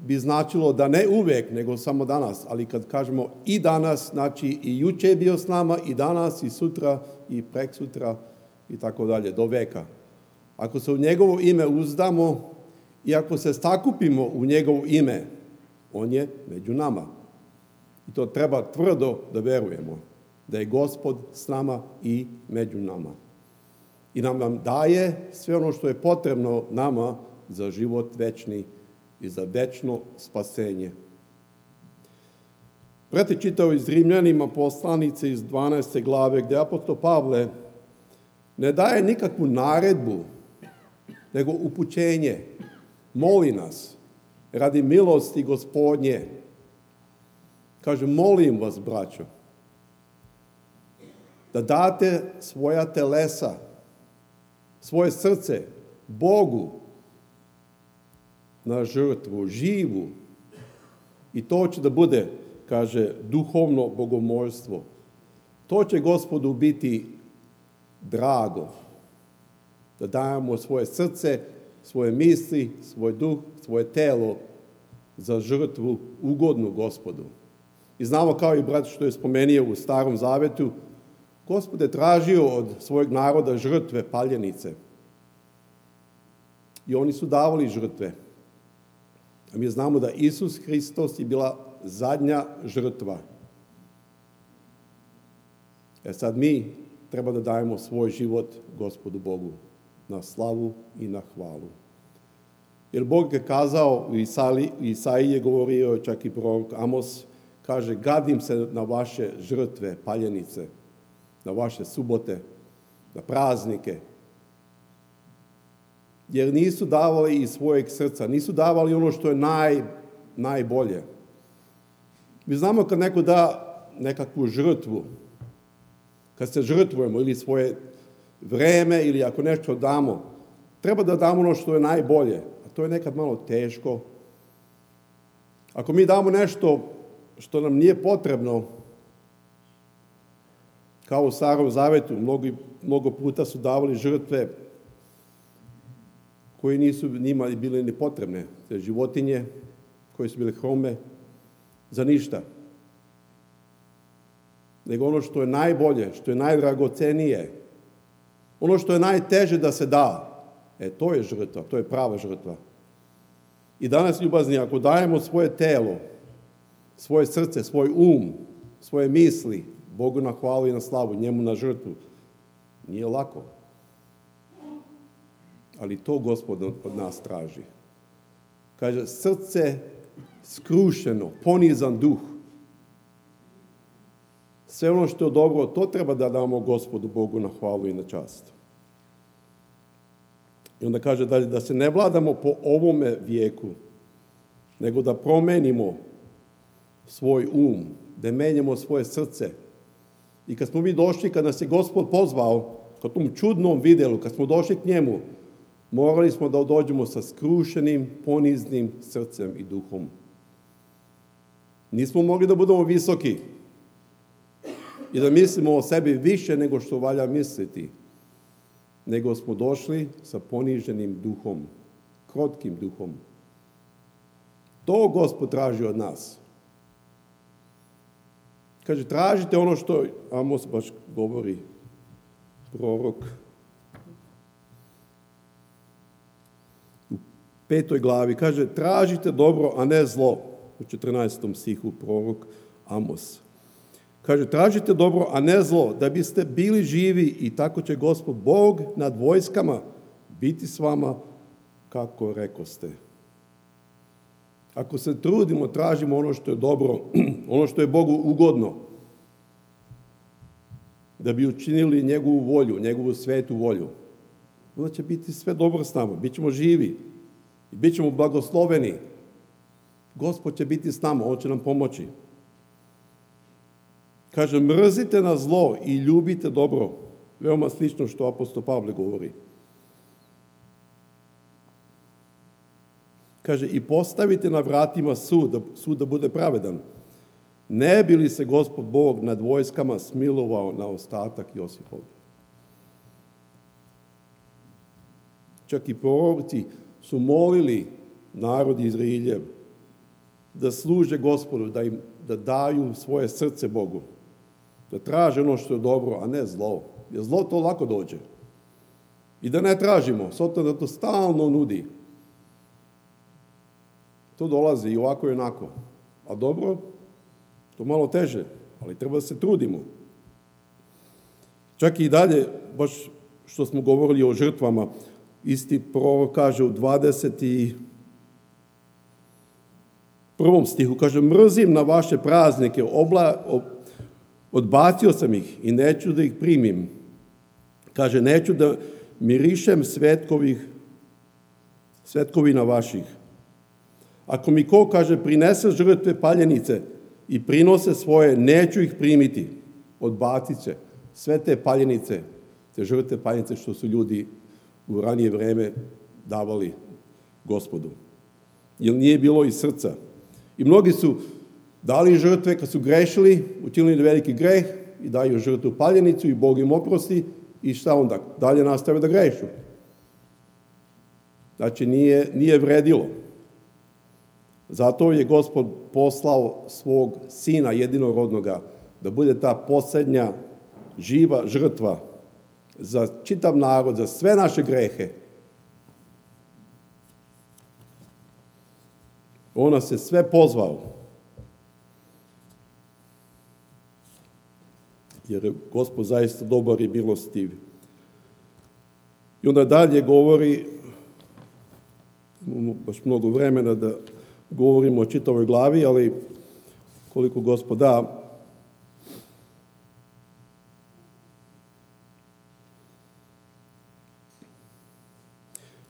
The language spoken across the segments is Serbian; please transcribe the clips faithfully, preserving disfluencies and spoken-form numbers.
bi značilo da ne uvijek, nego samo danas. Ali kad kažemo i danas, znači i juče je bio s nama, i danas, i sutra, i preksutra, i tako dalje, do veka. Ako se u njegovo ime uzdamo i ako se sakupimo u njegovo ime, on je među nama. I to treba tvrdo da verujemo, da je Gospod s nama i među nama. I nam nam daje sve ono što je potrebno nama za život večni i za večno spasenje. Brate, čitao iz Rimljanima poslanice iz dvanaeste glave, gdje apostol Pavle ne daje nikakvu naredbu, nego upućenje. Moli nas, radi milosti Gospodnje. Kaže, molim vas, braćo, da date svoja telesa, svoje srce Bogu na žrtvu, živu. I to će da bude, kaže, duhovno bogomolstvo. To će Gospodu biti drago. Da dajemo svoje srce, svoje misli, svoj duh, svoje telo za žrtvu ugodnu Gospodu. I znamo, kao i brat što je spomenio u Starom Zavetu, Gospod je tražio od svojeg naroda žrtve, paljenice. I oni su davali žrtve. A mi znamo da Isus Hristos je bila zadnja žrtva. E sad mi treba da dajemo svoj život Gospodu Bogu na slavu i na hvalu. Jer Bog je kazao, u Isaiji je govorio, čak i prorok Amos, kaže, gadim se na vaše žrtve, paljenice, na vaše subote, na praznike. Jer nisu davali iz svojeg srca, nisu davali ono što je naj, najbolje. Mi znamo kad neko da nekakvu žrtvu, kad se žrtvujemo ili svoje vreme ili ako nešto damo, treba da damo ono što je najbolje, a to je nekad malo teško. Ako mi damo nešto što nam nije potrebno, kao u Starom Zavetu, mnogo, mnogo puta su davali žrtve koje nisu njima bile ni potrebne. Te životinje koje su bile hrome za ništa. Nego ono što je najbolje, što je najdragocenije, ono što je najteže da se da, e to je žrtva, to je prava žrtva. I danas, ljubazni, ako dajemo svoje telo, svoje srce, svoj um, svoje misli, Bogu na hvalu i na slavu, njemu na žrtvu, nije lako. Ali to Gospod od nas traži. Kaže, srce skrušeno, ponizan duh. Sve ono što je dobro, to treba da damo Gospodu Bogu na hvalu i na čast. I onda kaže dalje, da se ne vladamo po ovome vijeku, nego da promenimo svoj um, da menjamo svoje srce. I kad smo mi došli, kad nas je Gospod pozvao, kad tom čudnom vidjelu, kad smo došli k njemu, morali smo da dođemo sa skrušenim, poniznim srcem i duhom. Nismo mogli da budemo visoki i da mislimo o sebi više nego što valja misliti, nego smo došli sa poniženim duhom, krotkim duhom. To Gospod traži od nas. Kaže, tražite ono što Amos baš govori, prorok. U petoj glavi kaže, tražite dobro, a ne zlo. U četrnaestom stihu prorok Amos. Kaže, tražite dobro, a ne zlo, da biste bili živi i tako će Gospod Bog nad vojskama biti s vama, kako rekoste. Ako se trudimo, tražimo ono što je dobro, ono što je Bogu ugodno, da bi učinili njegovu volju, njegovu svetu volju, onda će biti sve dobro s nama, bit ćemo živi i bit ćemo blagosloveni. Gospod će biti s nama, on će nam pomoći. Kaže, mrzite na zlo i ljubite dobro. Veoma slično što apostol Pavle govori. Kaže, i postavite na vratima sud, sud da bude pravedan. Ne bi li se Gospod Bog nad vojskama smilovao na ostatak Josipov? Čak i proroci su molili narod Izraeljev da služe Gospodu, da im da daju svoje srce Bogu. Da traže ono što je dobro, a ne zlo. Jer zlo to lako dođe. I da ne tražimo, s obzirom da to stalno nudi. To dolazi i ovako i onako. A dobro, to malo teže, ali treba da se trudimo. Čak i dalje, baš što smo govorili o žrtvama, isti prorok kaže u dvadeset prvom stihu, kaže, mrzim na vaše praznike, obla, ob, odbacio sam ih i neću da ih primim. Kaže, neću da mirišem svetkovih, svetkovina vaših. Ako mi ko, kaže, prinese žrtve paljenice i prinose svoje, neću ih primiti. Odbacit će sve te paljenice, te žrtve paljenice što su ljudi u ranije vreme davali Gospodu. Jer nije bilo iz srca. I mnogi su dali žrtve kad su grešili, učinili veliki greh i daju žrtvu paljenicu i Bog im oprosti i šta onda? Dalje nastave da grešu. Znači nije, nije vredilo. Zato je Gospod poslao svog sina jedinorodnoga da bude ta posljednja živa žrtva za čitav narod, za sve naše grehe. On nas je sve pozvao. Jer je Gospod zaista dobar i milostiv. I onda dalje govori, imamo baš mnogo vremena da govorimo o čitavoj glavi, ali koliko Gospod da.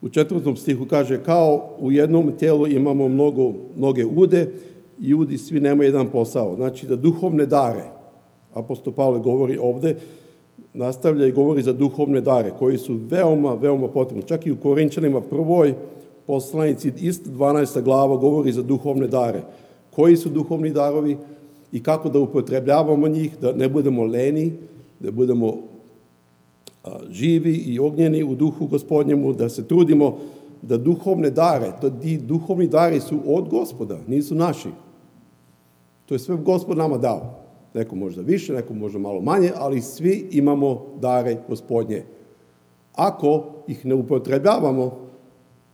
U četvrtom stihu kaže, kao u jednom tijelu imamo mnogo, mnoge ude i udi svi nemaju jedan posao. Znači da duhovne dare, apostol Pavle govori ovdje, nastavlja i govori za duhovne dare koji su veoma, veoma potrebni. Čak i u Korinčanima prvoj poslanici, isto dvanaesta glava govori za duhovne dare. Koji su duhovni darovi i kako da upotrebljavamo njih, da ne budemo leni, da budemo živi i ognjeni u duhu Gospodnjemu, da se trudimo da duhovne dare, to ti duhovni dari su od Gospoda, nisu naši. To je sve Gospod nama dao. Neko možda više, neko možda malo manje, ali svi imamo dare Gospodnje. Ako ih ne upotrebljavamo,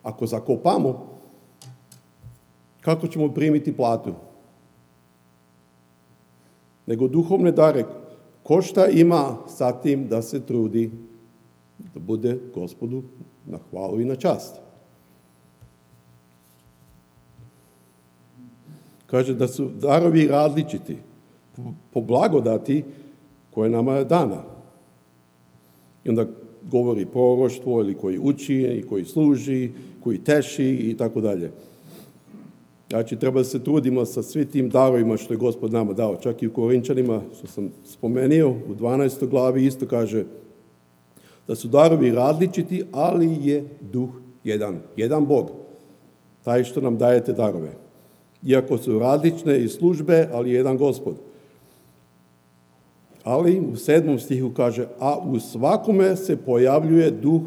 ako zakopamo, kako ćemo primiti platu? Nego duhovne dare, ko šta ima sa tim da se trudi da bude Gospodu na hvalu i na čast. Kaže da su darovi različiti po blagodati koje nama je dana. I onda govori proroštvo ili koji uči, i koji služi, koji teši i tako dalje. Znači, treba da se trudimo sa svim tim darovima što je Gospod nama dao. Čak i u Korinčanima, što sam spomenuo, u dvanaestoj glavi isto kaže da su darovi različiti, ali je duh jedan. Jedan Bog, taj što nam daje te darove. Iako su različne i službe, ali jedan Gospod. Ali u sedmom stihu kaže, a u svakome se pojavljuje duh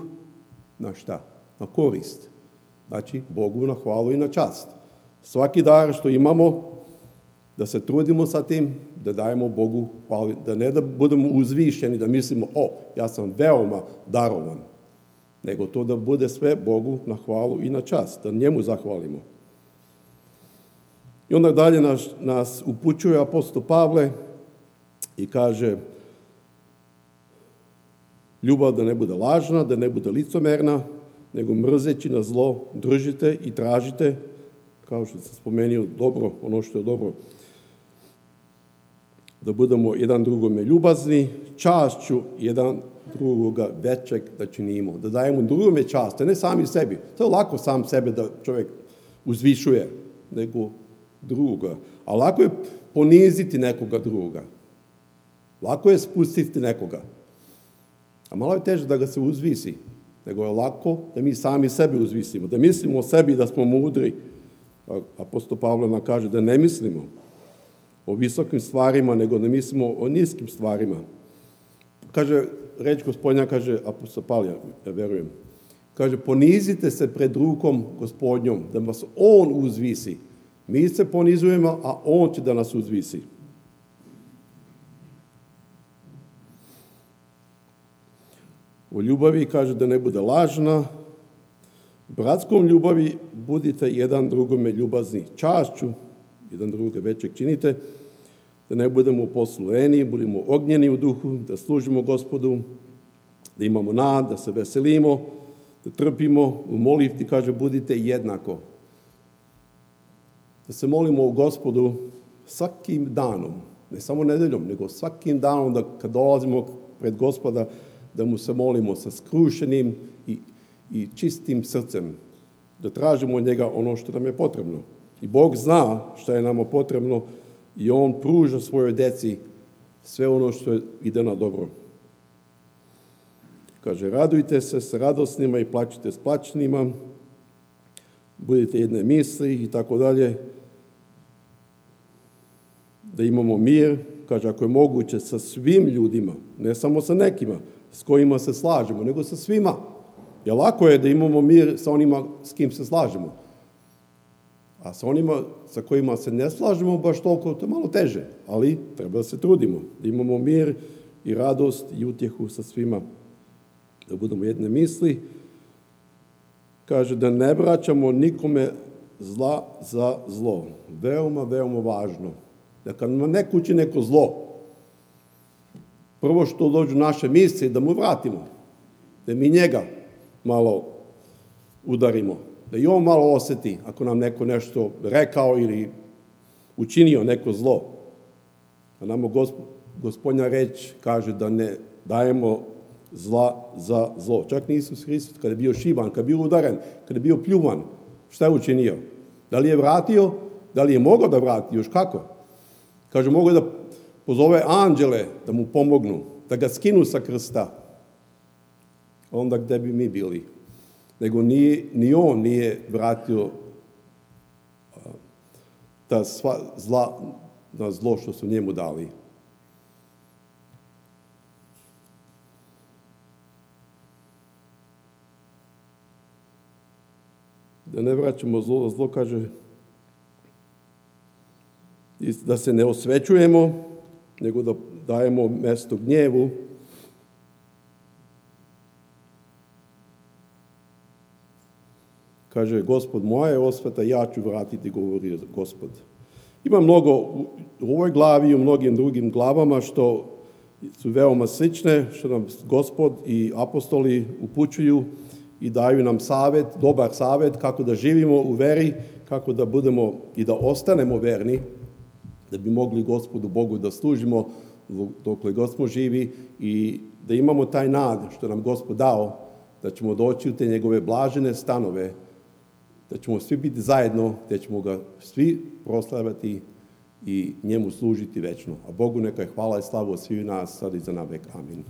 na šta? Na korist. Znači, Bogu na hvalu i na čast. Svaki dar što imamo, da se trudimo sa tim, da dajemo Bogu hvalu, da ne da budemo uzvišeni, da mislimo, o, ja sam veoma darovan, nego to da bude sve Bogu na hvalu i na čast, da njemu zahvalimo. I onda dalje nas, nas upućuje apostol Pavle i kaže, ljubav da ne bude lažna, da ne bude licomerna, nego mrzeći na zlo držite i tražite, kao što sam spomenuo, dobro, ono što je dobro, da budemo jedan drugome ljubazni, čašću jedan drugoga većeg da činimo, da dajemo drugome čast, ne sami sebi. To je lako sam sebe da čovjek uzvišuje, nego drugoga. A lako je poniziti nekoga drugoga. Lako je spustiti nekoga. A malo je teže da ga se uzvisi, nego je lako da mi sami sebe uzvisimo, da mislimo o sebi da smo mudri. Apostol Pavle nam kaže da ne mislimo o visokim stvarima, nego da mislimo o niskim stvarima. Kaže, reč Gospodnja, kaže apostol Pavle, ja verujem, kaže, ponizite se pred rukom Gospodnjom, da vas on uzvisi. Mi se ponizujemo, a on će da nas uzvisi. U ljubavi kaže da ne bude lažna. Bratskom ljubavi budite jedan drugome ljubazni čašću, jedan druge većeg činite, da ne budemo poslueni, budemo ognjeni u duhu, da služimo Gospodu, da imamo nad, da se veselimo, da trpimo. U molitvi kaže budite jednako. Da se molimo u Gospodu svakim danom, ne samo nedeljom, nego svakim danom da kad dolazimo pred Gospoda, da mu se molimo sa skrušenim i, i čistim srcem, da tražimo od njega ono što nam je potrebno. I Bog zna što je nama potrebno i on pruža svojoj deci sve ono što ide na dobro. Kaže, radujte se s radosnima i plačite s plačnima, budite jedne misli i tako dalje. Da imamo mir, kaže, ako je moguće sa svim ljudima, ne samo sa nekima s kojima se slažemo, nego sa svima. Jer lako je da imamo mir sa onima s kim se slažemo. A sa onima sa kojima se ne slažemo baš toliko, to je malo teže. Ali treba da se trudimo, da imamo mir i radost i utjehu sa svima. Da budemo jedne misli. Kaže da ne vraćamo nikome zla za zlo. Veoma, veoma važno. Da kad nam neko uči neko zlo, prvo što dođu naše misli, da mu vratimo. Da mi njega malo udarimo. Da i on malo osjeti ako nam neko nešto rekao ili učinio neko zlo. A nama Gospodnja reč kaže da ne dajemo zla za zlo. Čak ni Isus Hristos, kada je bio šiban, kada je bio udaren, kada je bio pljuvan, šta je učinio? Da li je vratio? Da li je mogao da vrati? Još kako? Kaže, mogu da pozove anđele da mu pomognu, da ga skinu sa krsta. Onda gde bi mi bili? Nego ni, ni on nije vratio ta sva zla na zlo što su njemu dali. Da ne vraćamo zlo, zlo kaže da se ne osvećujemo, nego da dajemo mesto gnjevu. Kaže, Gospod moja je osveta, ja ću vratiti, govori Gospod. Ima mnogo u ovoj glavi i u mnogim drugim glavama što su veoma slične, što nam Gospod i apostoli upućuju i daju nam savjet, dobar savjet kako da živimo u veri, kako da budemo i da ostanemo verni, da bi mogli Gospodu Bogu da služimo dokle god smo živi i da imamo taj nad što nam Gospod dao, da ćemo doći u te njegove blažene stanove, da ćemo svi biti zajedno, da ćemo ga svi proslavati i njemu služiti večno. A Bogu neka je hvala i slavu svih nas sad i za navek. Amin.